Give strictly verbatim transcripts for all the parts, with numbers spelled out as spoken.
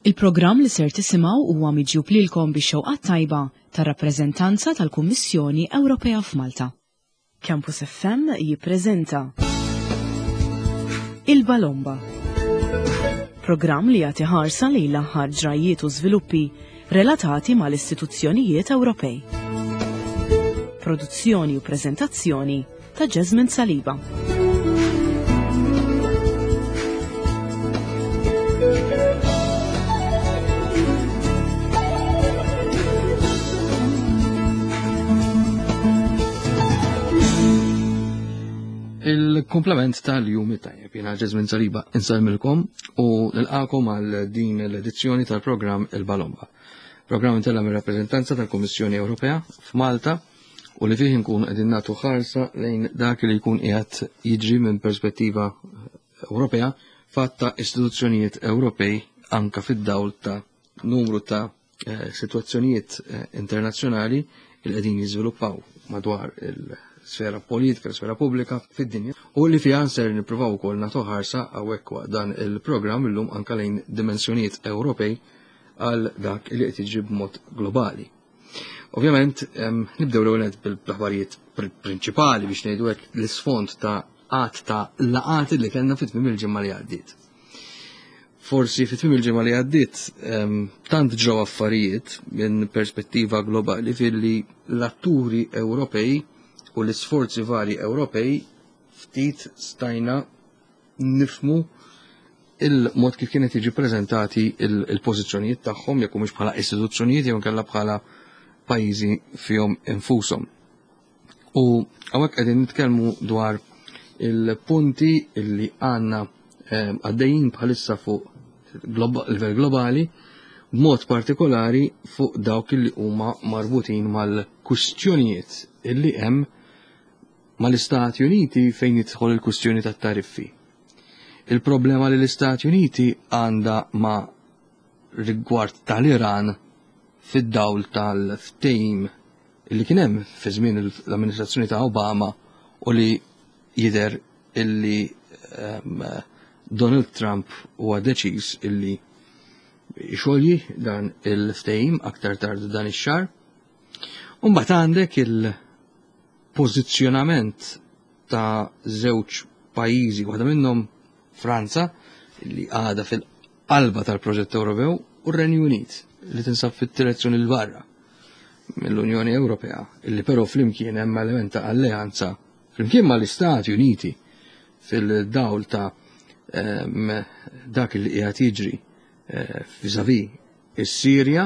Il-programm li ser tisimgħu huwa miġjub lilkom bix-xewqa tajba tar-rappreżentanza tal-Kummissjoni Ewropea f'Malta. Campus F M jippreżenta Il-Balomba. Programm li jagħti ħarsa lejn l-aħħar ġrajiet u żviluppi relatati mal-istituzzjonijiet Ewropej. Produzzjoni u preżentazzjoni ta' Jasmine Saliba. Il-komplement tal-jum tajjeb, jiena Jasmine Saliba insellmilkom u nilqakom għal din l-edizzjoni tal-programm Il-Balomba. Programm intella mir-rappreżentanza tal-Kummissjoni Ewropea f'Malta u li fih nkun qegħdin nagħtu ħarsa lejn dak li jkun qiegħed jiġri minn perspettiva Ewropea fatta istituzzjonijiet Ewropej anka fid-dawl ta' numru ta' eh, sitwazzjonijiet eh, internazzjonali li qegħdin jiżviluppaw madwar il- sfera politika, sfera pubblika fid-dinja u li fiha ser nippruvaw ukoll nagħtu ħarsa hawnhekk waqt dan il-programm illum anka lejn dimensjonijiet Ewropej għal dak li qed jiġri b'mod globali. Ovvjament, nibdew l-ewwel bil-aħbarijiet prinċipali biex ngħidu hekk l-isfond ta' qatt ta' laqat li kellna fit-tmiem il-ġimgħa li għaddiet. Forsi fit-tmiem il-ġimgħa li għaddiet tant ġraw affarijiet minn perspettiva globali filli l-atturi Ewropej u l-isforzi vari Ewropej ftit stajna nifmu il-mod kif kienet jiġi prezentati il-pożizzjonijiet tagħhom jekk mhux bħala istituzzjonijiet jew inkella bħala pajjiżi fihom infushom. U hawnhekk qegħdin nitkellmu dwar il-punti illi għandna ehm, għaddejjin bħalissa fuq livell globali, b'mod partikolari fuq dawk li huma marbutin mal-kwistjonijiet illi hemm mal-Istati Uniti fejn jidħol il-kwistjoni tat-tariffi. Il-problema li l-Istati Uniti għandha ma' rigward tal-Iran fid-dawl tal-ftehim illi kien hemm fi żmien l-amministrazzjoni ta' Obama u li jidher illi um, Donald Trump huwa deċiż illi xolji dan il-ftehim aktar tard dan ix-xahar. Imbagħad għandek il-pożizzjonament ta' żewġ pajjiżi, waħda minnhom Franza, li għadha fil-qalba tal-proġett Ewropew, u r-Renju Unit, li tinsab fit-direzzjoni l barra mill-Unjoni Ewropea, illi però flimkien hemm element ta' alleanza flimkien mal-Istati Uniti fil-dawl ta' dak li qiegħed jiġri eh, vis-à-vis is-Sirja,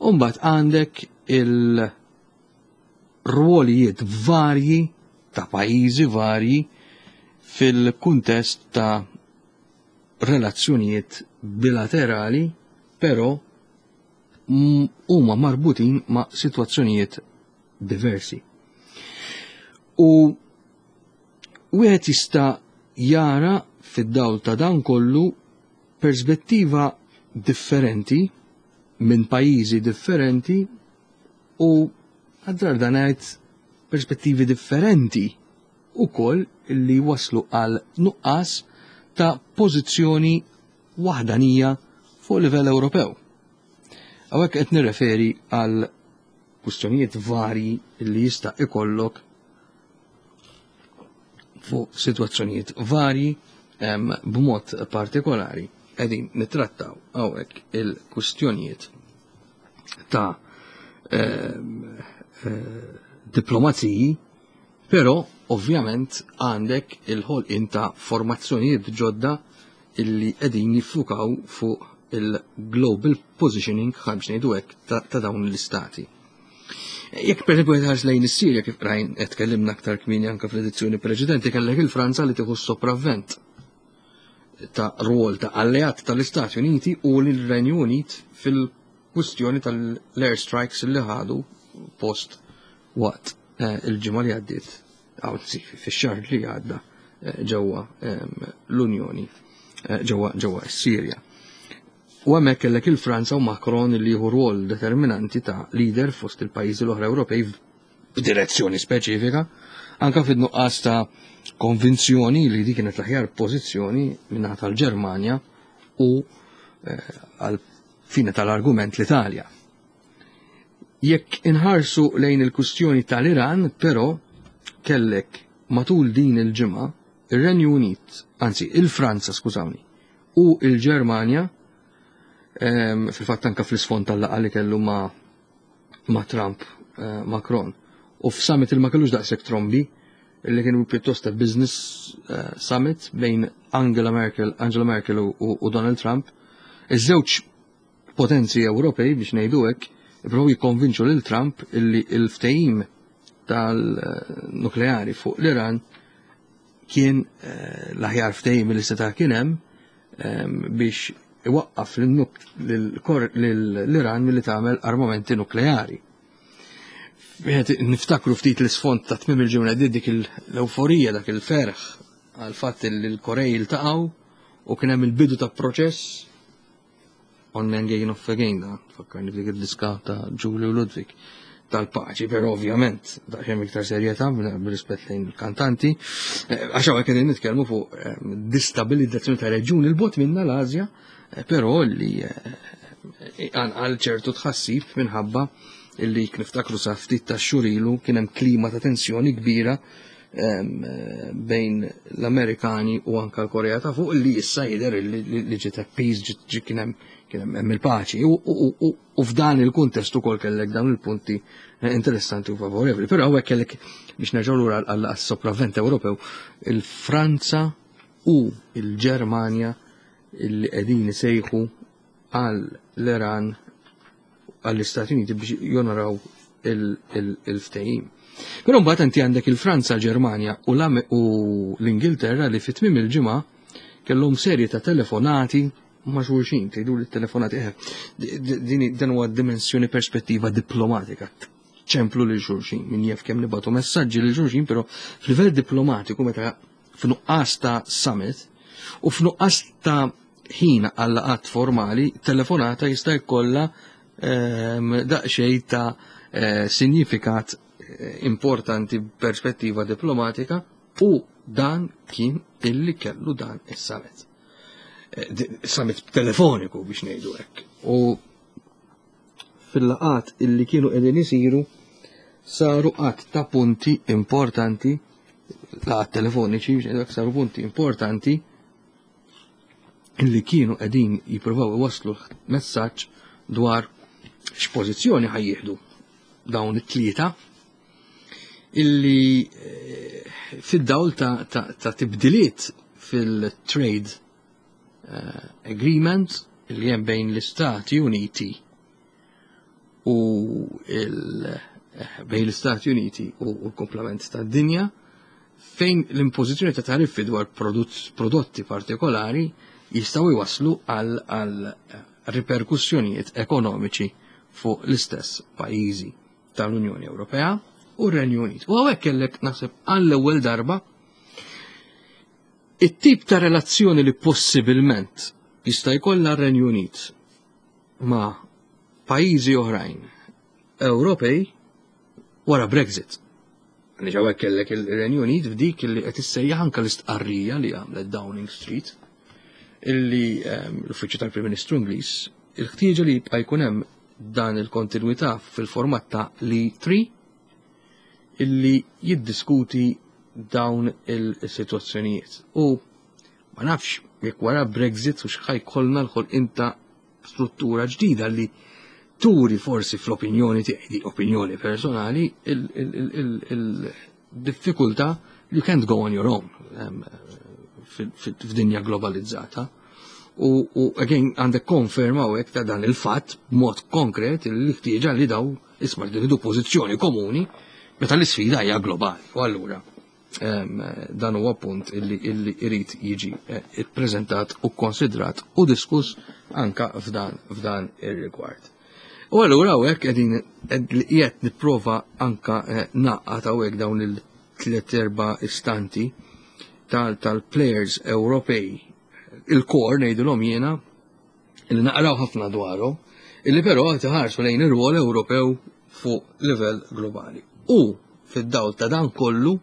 u mbagħad għandek il-rwolijiet varji ta' pajjiżi varji fil-kuntest ta' relazzjonijiet bilaterali, però huma marbutin ma' situazzjonijiet diversi. U wieħed jista' jara fid-dawl ta' dan kollu perspettiva differenti minn pajjiżi differenti u għaddar dan ngħid perspettivi differenti ukoll li waslu għal nuqqas ta' pożizzjoni waħdanija fuq livell Ewropew. Hawnhekk qed nirreferi għal kwistjonijiet varji li jista' ikollok fuq sitwazzjonijiet varji, b'mod partikolari qegħdin nittrattaw hawnhekk il-kwistjonijiet ta' eh, diplomaziji, però ovvjament għandek il-ħolqien ta' formazzjonijiet ġodda illi qegħdin jiffukaw fuq il-global positioning, biex ngħidu hekk, ta', ta dawn l-istati. Jekk per esempio tħares lejn is-Sirja, kif rajn qed tkellimna aktar kmieni anke fl-edizzjoni preċedenti, kellek il-Franza li tieħu sopravvent ta' rwol ta' alleat tal-Istati Uniti u l-Renju Unit fil-kwistjoni tal-airstrikes li ħadu post waqt eh, il-ġimgħa li għaddiet, anzi fix-xahar li għadda, eh, ġewwa ehm, l-Unjoni, eh, ġewwa ġewwa s-Sirja. U hemmhekk kellek il-Franza u Macron li jieħu rwol determinanti ta' leader fost il-pajjiżi l-oħra Ewropej b'direzzjoni speċifika, anka fid-nuqqas ta' konvinzjoni li dik kienet l-aħjar pożizzjoni min-naħa tal-Ġermanja u għal fine tal-argument l-Italja. Jekk inħarsu lejn il-kustjoni tal-Iran, però kellek matul din il-ġimgħa ir-Renju Unit, anzi il-Franza, skużawni, u il-Ġermanja, fil-fatt anka fl-isfond tal-laqgħa li kellu ma' ma' Trump, Macron, u f'summit il ma kellux daqshekk trombi, li kienu pjuttost ta' business summit bejn Angela Merkel, Angela Merkel u, u Donald Trump. Iż-żewġ potenzi Ewropej, biex ngħidu hekk, ippruvaw jikkonvinċu lil Trump illi il-ftehim tal-nukleari fuq l-Iran kien l-aħjar ftehim li seta' kien hemm biex iwaqqaf l-Iran milli tagħmel armamenti nukleari. Niftakru ftit l-isfond ta' tmiem il-ġimgħa dik l-euforija, dak il-ferħ għal fatt li l-Korej iltaqgħu u kien hemm il-bidu ta' proċess on again off again, da fakkarni f'dik id-diska ta' Giulio Ludwig tal-paċi, però ovvjament daqsxejn iktar serjetà b'rispett lejn il-kantanti, għax hawnhekk qegħdin nitkellmu fuq distabilizzazzjoni ta' reġjun il-bogħod minna l-Asja, però li għal ċertu tħassib minħabba illi niftakru sa ftit ta' xhur ilu kien hemm klima ta' tensjoni kbira bejn l-Amerikani u anka l-Korea ta' fuq, li issa jidher li ġiet peace, ġi kien hemm kien hemm il-paċi. U f'dan il-kuntest ukoll kellek dawn il-punti interessanti u favorevoli. Però hawnhekk kellek, biex nerġgħu lura għas-sopravvent Ewropew, il-Franza u il-Ġermanja illi qegħdin isejħu għal l-Iran, għall-Istati Uniti biex jonoraw il-ftehim. Però mbagħad inti għandek il-Franza, Ġermanja u l-Ingilterra li fit tmiem il-ġimgħa kellhom serje ta' telefonati ma' xulxin, tgħidu li telefonati, eh, din dan huwa dimensjoni perspettiva diplomatika. Ċemplu lil xulxin, min jaf kemm nibatu messaġġi lil xulxin, però f'livell diplomatiku meta f'nuqqas ta' summit u f'nuqqas ta' ħin għal laqgħat formali, telefonata jista' jkollha daqsxejn ta' sinifikat importanti perspettiva diplomatika, u dan kien illi kellu dan is-summit. Summit telefoniku biex ngħidu hekk. U fil-laqat illi kienu qegħdin isiru saru qatt ta' punti importanti, laqat telefoniċi biex ngħidu hekk, saru punti importanti illi kienu qegħdin jippruvaw iwasslu messaġġ dwar x'pożizzjoni ħajjieħdu dawn it-tlieta illi fid-dawl ta', ta, ta' tibdiliet fil-trade uh, agreement illi hemm bejn l-Istati Uniti u il, bejn l-Istati Uniti u l-komplement tad-dinja, fejn l-impożizzjoni ta' tariffi dwar prodotti partikolari jistgħu jwasslu għal, għal riperkussjonijiet ekonomiċi fuq l-istess pajjiżi tal-Unjoni Ewropea u r-Renju Unit. U hawnhekk kellek naħseb għall-ewwel darba it-tip ta' relazzjoni li possibilment jista' jkollha r-Renju Unit ma' pajjiżi oħrajn Ewropej wara Brexit. Għaliex hawnhekk kellek il-Renju Unit f'dik li qed issejjaħ anke l-istqarrija li għamlet Downing Street, illi l-Uffiċċju tal-Prim Ministru Ingliż, il-ħtieġa li jibqa' jkun hemm dan il-kontinwità fil-format ta' li tlieta illi jiddiskuti dawn il-sitwazzjonijiet. U ma nafx jekk wara Brexit u x'ħa jkollna l-ħolqien ta' struttura ġdida li turi forsi fl-opinjoni tiegħi, di opinjoni personali, il-diffikultà you can't go on your own f'dinja globalizzata. U, u again għandek konferma u ta' dan il-fatt b'mod konkret li ħtieġa li daw isma' li pożizzjoni komuni meta l-isfida hija globali. U allura dan huwa punt illi illi irid jiġi ippreżentat u konsidrat u diskuss anka f'dan f'dan ir-rigward. U allura hawnhekk qegħdin qiegħed nipprova anka naqqat hawnhekk dawn il-tliet erba' istanti tal-players Ewropej, il-core ngħidulhom jiena, illi naqraw ħafna dwarhom, illi però qed iħarsu lejn ir-rwol Ewropew fuq livell globali. U fid-dawl ta' dan kollu,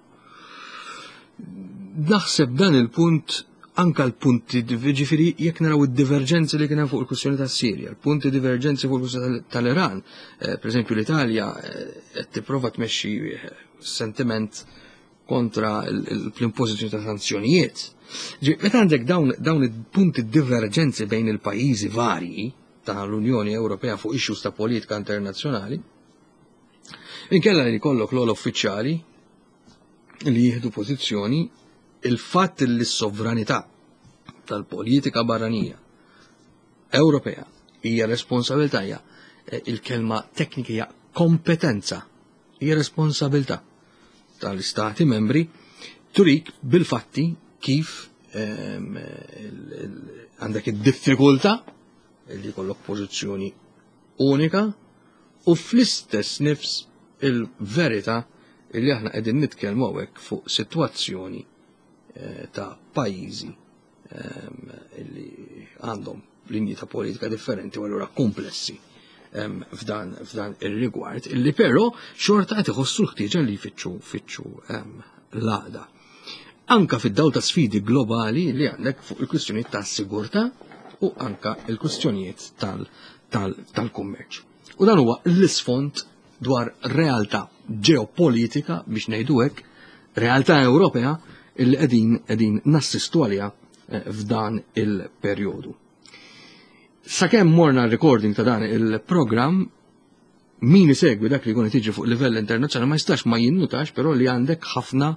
naħseb dan il-punt Anka l-punti, ġifieri jekk naraw id-diverġenzi li kien hemm fuq il-kwistjoni tas-Sirja, l-punti diverġenzi fuq il-kwistjoni tal-Iran, eh, per eżempju l-Italja eh, qed tipprova tmexxi eh, sentiment kontra l-impożizzjoni ta' sanzjonijiet. Meta għandek dawn, dawn il-punti diverġenzi bejn il-pajjiżi varji tal-Unjoni Ewropea fuq issues ta' politika internazzjonali, inkella li jkollok l uffiċjali li jieħdu pożizzjoni, il-fatt li s-sovranità tal-politika barranija Ewropea hija responsabilità, hija eh, il-kelma teknika hija kompetenza, hija responsabilità tal-istati membri, turik bil-fatti kif ehm, għandek id-diffikultà li jkollok pożizzjoni unika u fl-istess nifs il-verità li aħna qegħdin nitkellmu hawnhekk fuq sitwazzjoni eh, ta' pajjiżi ehm, li għandhom linji ta' politika differenti u allura komplessi ehm, f'dan f'dan ir-rigward, illi però xorta qed iħossu l-ħtieġa li jfittxu fittxu ehm, l-għaqda. Anka fid-dawl ta' sfidi globali li għandek fuq il-kwistjonijiet ta' sigurtà u anka il-kwistjonijiet tal-kummerċ. U dan huwa l-isfond dwar realtà ġeopolitika, biex ngħidu hekk, realtà Ewropea illi qegħdin qegħdin nassistu għaliha eh, f'dan il-perjodu. Sakemm morna recording ta' dan il-programm, min isegwi dak li jkun qed jiġri fuq livell internazzjonali ma jistax ma jinnutax però li għandek ħafna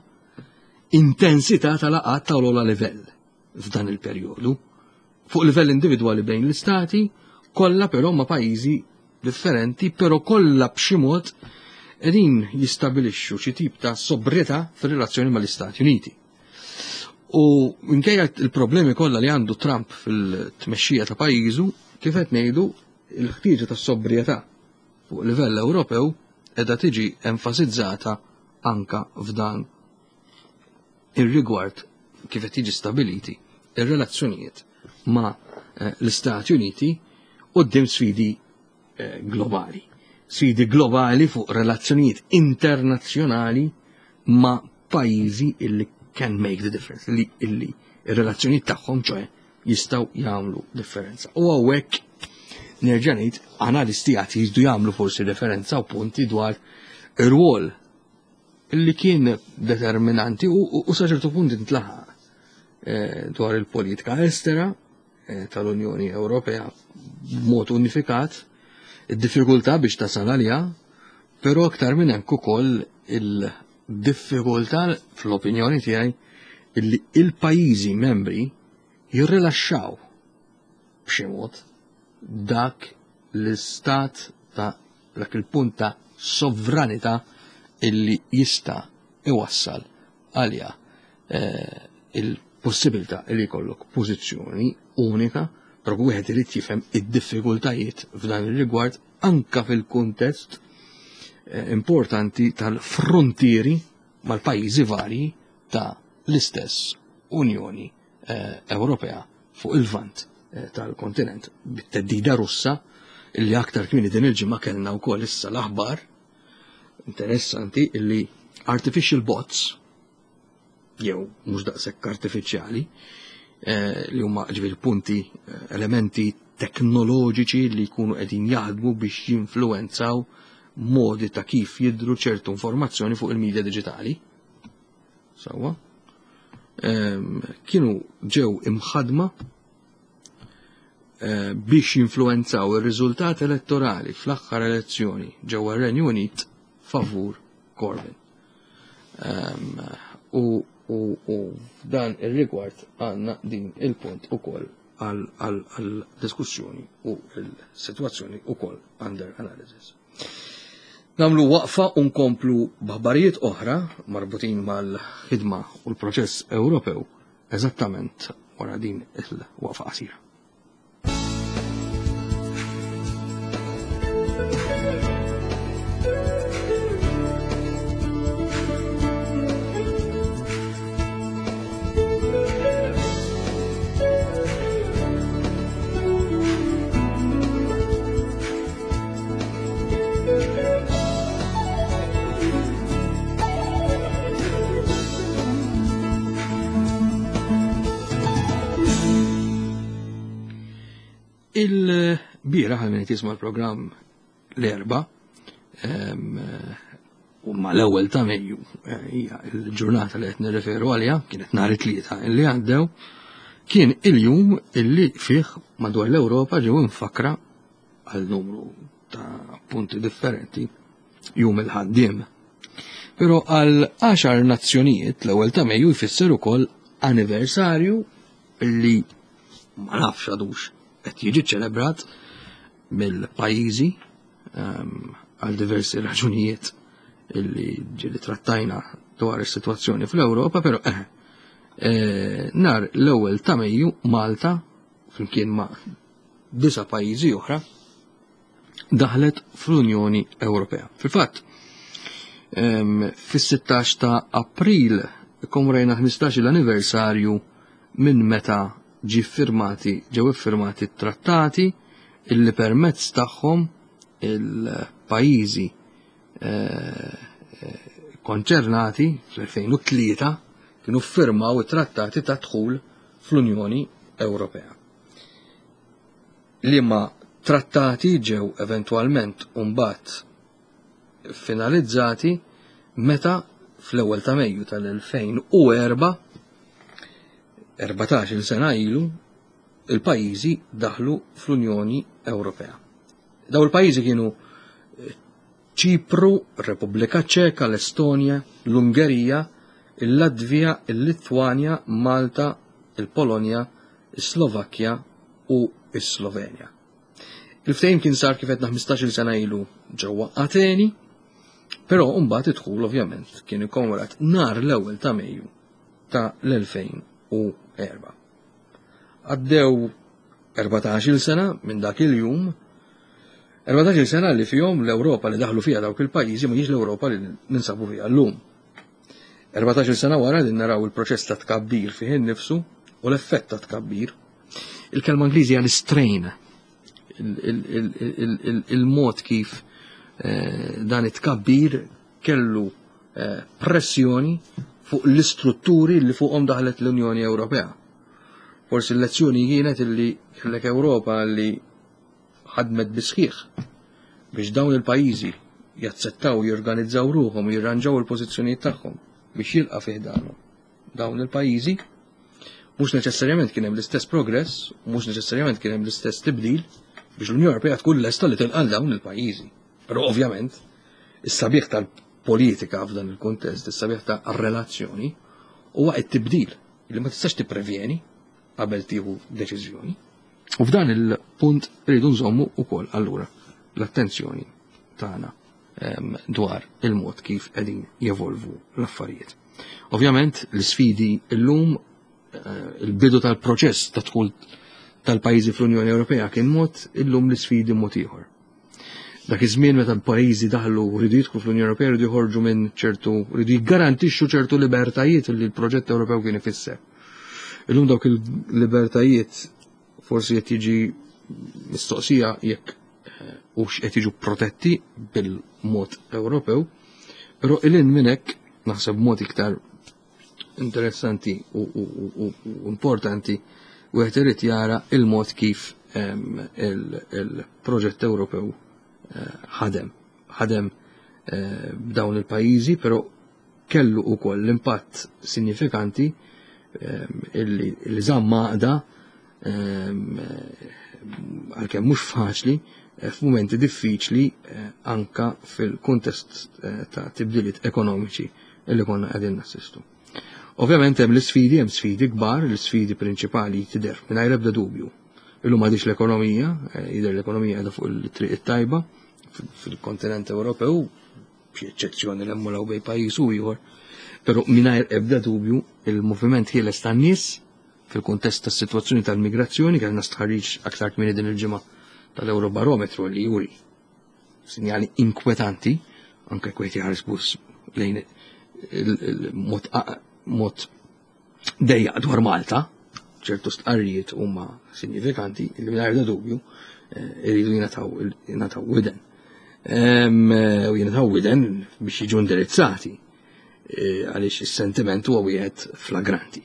intensità tal-laqgħat ta' l livell f'dan il-perjodu. Fuq livell individwali bejn l-istati, kollha però ma' pajjiżi differenti, però kollha b'xi mod qegħdin jistabilixxu xi tip ta' sobrietà fir-relazzjoni mal-Istati Uniti. U minkejja il-problemi kollha li għandu Trump fil-tmexxija ta' pajjiżu, kif qed ngħidu, il-ħtieġa ta' sobrietà fuq livell Ewropew qiegħda tiġi enfasizzata anka f'dan ir-rigward kif qed jiġi stabiliti ir-relazzjonijiet ma' eh, l-Istati Uniti quddiem sfidi eh, globali. Sfidi globali fuq relazzjonijiet internazzjonali ma' pajjiżi illi can make the difference, illi, illi ir-relazzjonijiet tagħhom ċoè jistgħu jagħmlu differenza. U hawnhekk nerġa' ngħid analisti għad jridu jagħmlu forsi referenza u punti dwar ir-rwol illi kien determinanti u, u, u sa ċertu punt intlaħaq eh, dwar il-politika estera eh, tal-Unjoni Ewropea b'mod unifikat, id-diffikultà biex tasal għaliha, però aktar minn hekk ukoll il-diffikultà fl-opinjoni tiegħi illi il-pajjiżi membri jirrilaxxaw b'xi mod dak l-istat ta' dak il-punt ta' sovranità illi jista' iwassal għalija eh, il-possibilità li jkollok pożizzjoni unika, però wieħed irid jifhem id-diffikultajiet f'dan ir-rigward anka fil-kuntest eh, importanti tal-frontieri mal-pajjiżi varji ta' l-istess Unjoni eh, Ewropea fuq il-vant eh, tal-kontinent bit-teddida Russa illi aktar kmieni din il-ġimgħa kellna wkoll issa l-aħbar interessanti illi artificial bots jew mhux daqshekk artifiċjali eh, li huma ġifieri punti eh, elementi teknoloġiċi li jkunu qegħdin jaħdmu biex jinfluwenzaw modi ta' kif jidru ċertu informazzjoni fuq il-medja diġitali. Sewwa. Ehm, kienu ġew imħadma eh, biex jinfluwenzaw ir-riżultat elettorali fl-aħħar elezzjoni ġewwa r-Renju Unit favur Corbyn. Ehm, u u u f'dan ir-rigward għandna din il-punt ukoll għal diskussjoni u il-sitwazzjoni ukoll under analysis. Nagħmlu waqfa u nkomplu b'aħbarijiet oħra marbutin mal-ħidma u l-proċess Ewropew eżattament wara din il-waqfa qasira. Il-bieraħ għal min jisma' l-programm l-Erbgħa, u ma l-ewwel ta' Mejju hija l-ġurnata li qed nirreferu għaliha, kienet nhar it-Tlieta illi għaddew, kien il-jum illi fih madwar l-Ewropa ġew infakra għal numru ta' punti differenti jum il-ħaddiem. Però għal għaxar nazzjonijiet l-ewwel ta' Mejju jfisser ukoll anniversarju illi ma nafx għadux qed jiġi ċelebrat mill-pajjiżi għal diversi raġunijiet illi ġieli trattajna dwar is-sitwazzjoni fl-Ewropa, però eh, eh, nhar l-ewwel ta' Mejju Malta flimkien ma' disa' pajjiżi oħra daħlet fl-Unjoni Ewropea. Fil-fatt, fis-sittax ta' April ikkommemorajna ħmistax l-anniversarju minn meta ġi firmati, ġew iffirmati trattati illi permezz tagħhom il-pajjiżi eh, konċernati fl-elfejn u tlieta kienu ffirmaw it-trattati ta' dħul fl-Unjoni Ewropea. Liema trattati ġew eventwalment mbagħad finalizzati meta fl-ewwel ta' Mejju tal-elfejn u erba', erbatax-il sena ilu, il-pajjiżi daħlu fl-Unjoni Ewropea. Daw il-pajjiżi kienu Ċipru, Repubblika Ċeka, l-Estonja, l-Ungerija, il-Latvija, il-Litwanja, Malta, il-Polonja, is-Slovakkja u is-Slovenja. Il-ftehim kien sar kif għedna ħmistax-il sena ilu ġewwa Ateni, però mbagħad id-dħul ovvjament kien ikkommemorat nhar l-ewwel ta' Mejju ta' l-elfejn u erba'. Għaddew erbatax-il sena minn dak il-jum, erbatax-il sena li fihom l-Ewropa li daħlu fiha dawk il-pajjiżi ma hijiex l-Ewropa li ninsabu fiha llum. Erbatax-il sena wara li naraw il-proċess ta' tkabbir fih innifsu u l-effett ta' tkabbir. Il-kelma Ingliżi għal strain, il-mod kif eh, dan it-tkabbir kellu, eh, pressjoni fuq l-istrutturi li fuqhom daħlet l-Unjoni Ewropea. Forsi l-lezzjoni kienet illi kellek Ewropa li ħadmet bisħiħ biex dawn il-pajjiżi jaċċettaw, jorganizzaw ruħhom, jirranġaw il-pożizzjonijiet tagħhom biex jilqa' fih dawn dawn il-pajjiżi. Mhux neċessarjament kien hemm l-istess progress, mhux neċessarjament kien hemm l-istess tibdil biex l-Unjoni Ewropea tkun lesta li tilqa' dawn il-pajjiżi. Però ovvjament is-sabiħ tal-politika f'dan il-kuntest, is-sabiħ ta' relazzjoni huwa t-tibdil li ma tistax tipprevjeni qabel tieħu deċiżjoni. U f'dan il-punt rridu nżommu wkoll allura l-attenzjoni tagħna, ehm, dwar il-mod kif qegħdin jevolvu l-affarijiet. Ovvjament l-isfidi llum, eh, il-bidu tal-proċess ta' dħul tal-pajjiżi fl-Unjoni Ewropea kien mod, illum l-isfidi mod ieħor. Dak iż-żmien meta l-pajjiżi daħlu rridu jidħlu fl-Unjoni Ewropea, rridu jħorġu minn ċertu, rridu jiggarantixxu ċertu libertajiet li l-proġett Ewropew kien ifisser. Illum dawk il-libertajiet forsi qed jiġi mistoqsija jekk, eh, hux qed jiġu protetti bil-mod Ewropew, però ilin minn hekk naħseb mod iktar interessanti u, u, u, u importanti wieħed irid jara il-mod kif, ehm, il-, il-proġett Ewropew, eh, ħadem. Ħadem, eh, b'dawn il-pajjiżi, però kellu wkoll l-impatt sinifikanti, ehm, illi, illi żamm għaqda, ehm, għalkemm mhux faċli, eh, f'mumenti diffiċli, eh, anka fil-kuntest, eh, ta' tibdiliet ekonomiċi illi konna qegħdin nassistu. Ovvjament hemm l-isfidi, hemm sfidi kbar, l-isfidi prinċipali tidher mingħajr ebda dubju. Illum m'għadix l-ekonomija, eh, jidher l-ekonomija qiegħda fuq il-triq it-tajba fil-kontinent Ewropew, b'xi eċċezzjoni li hemm bejn pajjiż u ieħor, però mingħajr ebda dubju il-moviment ħieles tan-nies fil-kuntest tas-sitwazzjoni tal-migrazzjoni, kellna stħarriġ aktar kmieni din il-ġimgħa tal-Eurobarometru li juri sinjali inkwetanti, anke kwejt jħares bus lejn il-mod mod dejjaq dwar Malta, ċertu stqarrijiet huma sinifikanti li mingħajr ebda dubju, eh, iridu jingħataw, jingħataw widen. Em, eh, u jingħataw widen biex jiġu indirizzati, eh, għaliex is-sentiment huwa wieħed flagranti.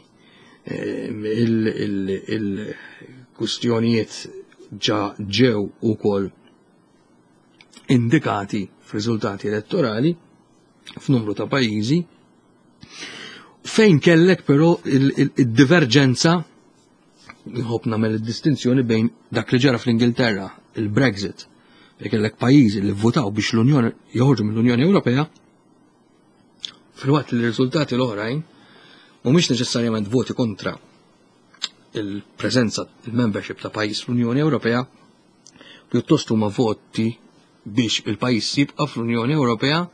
Em, il-, il-, il-kustjonijiet ġa ġew ukoll indikati f'riżultati elettorali f'numru ta' pajjiżi, fejn kellek però il-diverġenza, nħobb nagħmel id-distinzjoni bejn dak li ġara fl-Ingilterra, il-Brexit, fejn kellek pajjiżi li vvotaw biex l-Unjoni joħorġu mill-Unjoni Ewropea, filwaqt li r-riżultati l-oħrajn mhumiex neċessarjament voti kontra il-preżenza, il-membership ta' pajjiż fl-Unjoni Ewropea, pjuttost huma voti biex il-pajjiż jibqa' fl-Unjoni Ewropea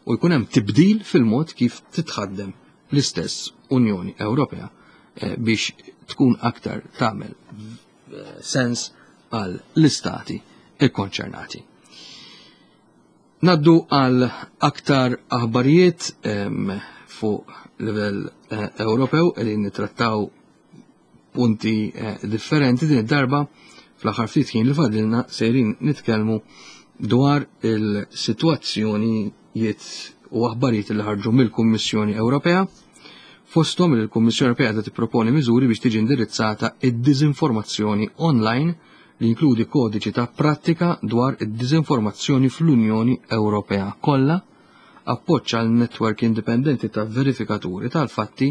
u jkun hemm tibdil fil-mod kif titħaddem l-istess Unjoni Ewropea eh, biex tkun aktar tagħmel eh, sens għal l-istati ikkonċernati. Naddu għal aktar aħbarijiet fuq livell eh, Ewropew li nittrattaw punti differenti. Din id-darba, fl-aħħar ftit ħin li fadlilna, sejrin nitkellmu dwar il-sitwazzjonijiet u aħbarijiet li ħarġu mill-Kummissjoni Ewropea, fosthom li l-Kummissjoni Ewropea qed tipproponi miżuri biex tiġi indirizzata id-diżinformazzjoni online, li jinkludi kodiċi ta' prattika dwar id-diżinformazzjoni fl-Unjoni Ewropea kollha, appoġġ għal netwerk indipendenti ta' verifikaturi tal-fatti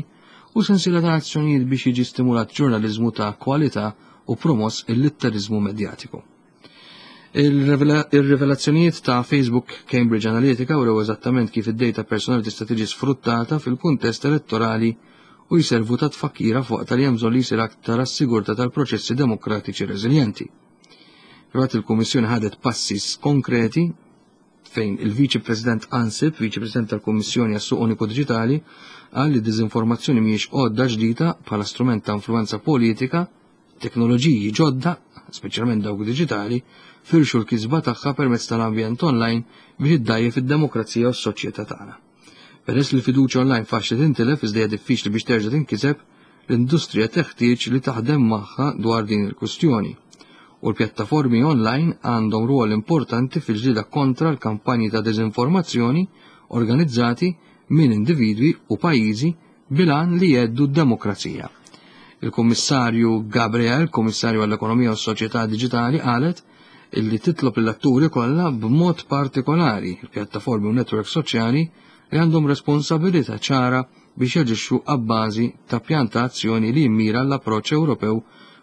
u sensiela ta' azzjonijiet biex jiġi stimulat ġurnaliżmu ta' kwalità u promoss il-litterizmu medjatiku. Il-rivelazzjonijiet ta' Facebook Cambridge Analytica urew eżattament kif id-data personali tista' tiġi sfruttata fil-kuntest elettorali u jservu ta' tfakkira fuq tal hemm bżonn li jsir aktar għas-sigurtà tal-proċessi demokratiċi reżiljenti. Filwaqt il-Kummissjoni ħadet passi konkreti, fejn il-Viċi President Ansip, Viċi President tal-Kummissjoni għas-Suq Uniku Digitali, qal li diżinformazzjoni mhijiex għodda ġdida bħala strument ta' influenza politika, teknoloġiji ġodda, speċjalment dawk diġitali, firxu l-kisba tagħha permezz tal-ambjent online biex iddajjef id-demokrazija u s-soċjetà tagħna. Peress li l-fiduċja online faċli tintilef iżda hija diffiċli biex terġa' tinkiseb, l-industrija teħtieġ li taħdem magħha dwar din il-kwistjoni. U l-pjattaformi online għandhom rwol importanti fil-ġlieda kontra l-kampanji ta' dezinformazzjoni organizzati minn individwi u pajjiżi bil-għan li jheddu d-demokrazija. Il-Kummissarju Gabriel, Kummissarju għall-Ekonomija u s-Soċjetà Diġitali, qalet illi titlob l-atturi kollha, b'mod partikolari il-pjattaformi u netwerk soċjali, li għandhom responsabilità ċara biex jaġixxu abbażi ta' pjan ta' azzjoni li jimmira l-approċċ Ewropew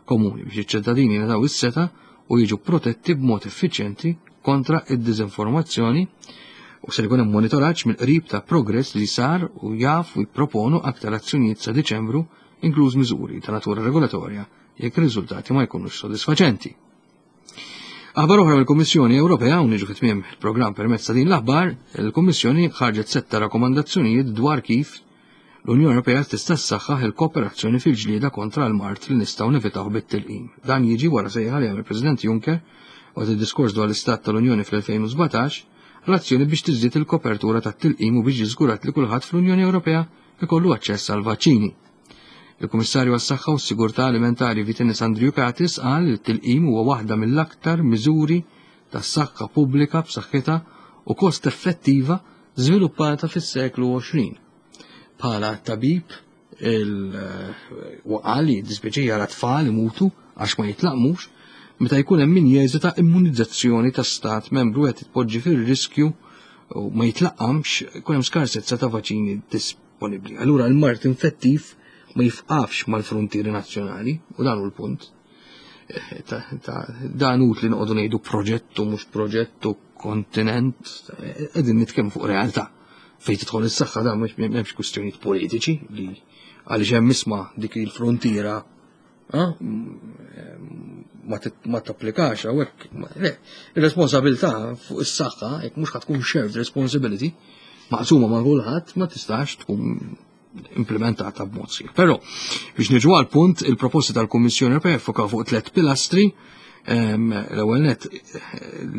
komuni biex iċ-ċittadini jingħataw is-setgħa u jiġu protetti b'mod effiċjenti kontra id-diżinformazzjoni, u se jkun hemm monitoraġġ mill-qrib ta' progress li sar u jaf u jipproponu aktar azzjonijiet sa' Diċembru, inkluż miżuri ta' natura regolatorja jekk ir-riżultati ma jkunux sodisfaċenti. Aħbar oħra mill-Kummissjoni Ewropea, u niġu fit-tmiem il-programm permezz ta' din l-aħbar, il-Kummissjoni ħarġet setta rakkomandazzjonijiet dwar kif l-Unjoni Ewropea tista' ssaħħaħ il-kooperazzjoni fil-ġlieda kontra l-mard li nistgħu nevitaw bit-tilqim. Dan jiġi wara sejħa li għamel il-President Juncker waqt id-diskors dwar l-Istat tal-Unjoni fl-elfejn u sbatax l-azzjoni biex tiżdied il-kopertura tat-tilqim u biex jiżgurat li kulħadd fl-Unjoni Ewropea ikollu aċċess għal vaċċini. Il-Kummissarju għas-Saħħa u s-Sigurtà Alimentari Vytenis Andriukaitis qal li t-tilqim huwa waħda mill-aktar miżuri tas-saħħa pubblika b'saħħitha u kost effettiva żviluppata fis-seklu għoxrin. Bħala tabib il-waqal li dispjaċih tfal imutu għax ma jitlaqmux meta jkun hemm min jeżita immunizzazzjoni ta' stat membru qed tpoġġi fir-riskju u ma jitlaqqamx, jkun hemm skarsezza ta' vaċini disponibbli. Allura l-mard infettiv ma jifqafx mal-frontieri nazzjonali u dan hu l-punt. Eh, dan utli noqogħdu ngħidu proġettu, mhux proġettu, kontinent, eh, qegħdin nitkellmu fuq realtà. Fejn tidħol is-saħħa dan mhux m'hemmx kwistjonijiet politiċi li għaliex hemm isma' dik il-frontiera ma tapplikax hawnhekk. Le, ir-responsabilità fuq is-saħħa, jekk mhux tkun shared responsibility, maqsuma ma' kulħadd, ma tistax tkun implementata b'mod sħiħ. Però biex niġu għal punt, il-proposti tal-Kummissjoni Ewropea fokaw fuq tliet pilastri. L-ewwel net,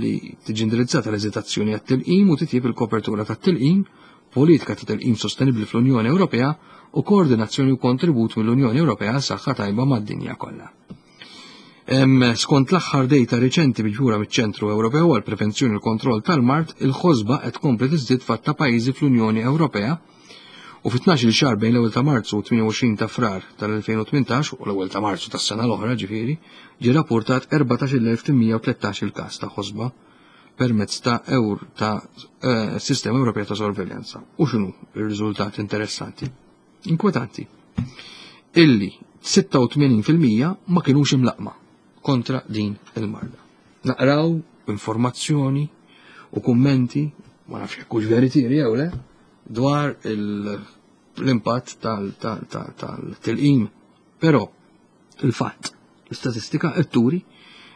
li tiġi indirizzata l-eżitazzjoni għat-tilqim u titjib il-kopertura tat-tilqim, politika ta' tilqim sostenibbli fl-Unjoni Ewropea u koordinazzjoni u kontribut mill-Unjoni Ewropea għal saħħa tajba mad-dinja kollha. Skont l-aħħar data reċenti miġbura miċ-Ċentru Ewropew għal Prevenzjoni u l-Kontroll tal-Mard, il-ħosba qed tkompli tiżdied f'għadd ta' pajjiżi fl-Unjoni Ewropea U fit-tnax-il xahar bejn l-ewwel ta' Marzu u tmienja u għoxrin ta' Frar tal-elfejn u tmintax u l-ewwel ta' Marzu tas-sena l-oħra ġifieri, ġie rapportat erbatax-il elf tmien mija u tlettax il każ ta' ħosba permezz ta' eur ta' eh, sistema Ewropea ta' sorveljanza. U x'inhu r-riżultat interessanti? Inkwetanti. Illi sitta u tmenin fil-mija ma kinux imlaqma kontra din il-marda. Naqraw informazzjoni u kummenti, ma nafx jekk hux veritieri jew le, dwar il-, l-impatt tal-tilqim. Però il-fatt, l-istatistika qed turi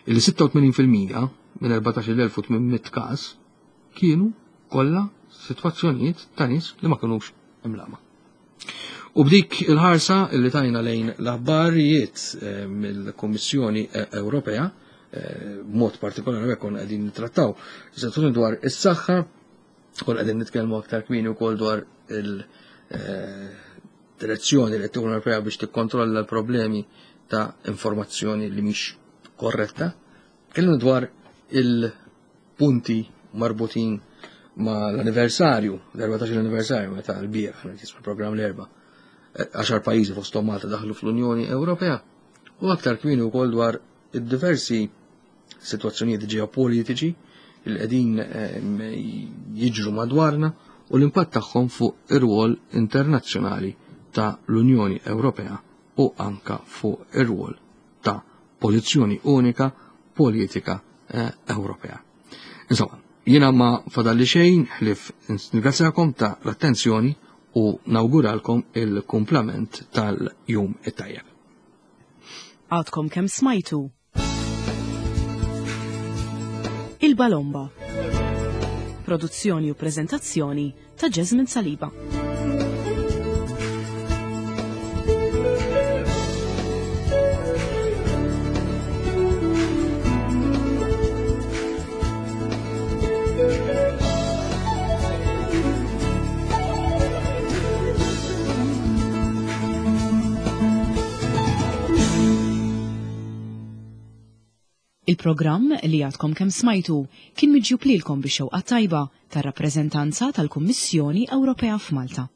li sitta u tmenin fil-mija minn erbatax-il elf u tmien mitt każ kienu kollha sitwazzjonijiet ta' nies li ma kinux imlaqma. U b'dik il-ħarsa li tajna lejn l-aħbarijiet, eh, mill-Kummissjoni Ewropea, eh, b'mod partikolari hekk konna qegħdin nittrattaw is-sitwazzjoni dwar is-saħħa, konna qegħdin nitkellmu aktar kmieni wkoll dwar il-direzzjoni li l-Unjoni Ewropea biex tikkontrolla l-problemi ta' informazzjoni li mhix korretta. Tkellimna dwar il-punti marbutin ma' l-anniversarju, l-erbatax-il anniversarju meta l-bieraħ, aħna jismu programm l-erba', għaxar pajjiżi fosthom Malta daħlu fl-Unjoni Ewropea, u aktar kmieni wkoll dwar id-diversi sitwazzjonijiet ġeopolitiċi li qegħdin, ehm, jiġru madwarna u l-impatt tagħhom fuq ir-rwol internazzjonali ta' l-Unjoni Ewropea u anka fuq ir-rwol ta' pożizzjoni unika politika, eh, Ewropea. Insomma, jiena ma fadalli xejn ħlief nirringrazzjakom ta' l-attenzjoni u nawguralkom il-kumplament tal-jum it-tajjeb. Għadkom kemm smajtu Il-Balomba. Produzzjoni u prezentazzjoni ta' Jasmine Saliba. Il-programm li għadkom kemm smajtu kien miġjub lilkom bix-xewqa tajba tar-rappreżentanza tal-Kummissjoni Ewropea f'Malta.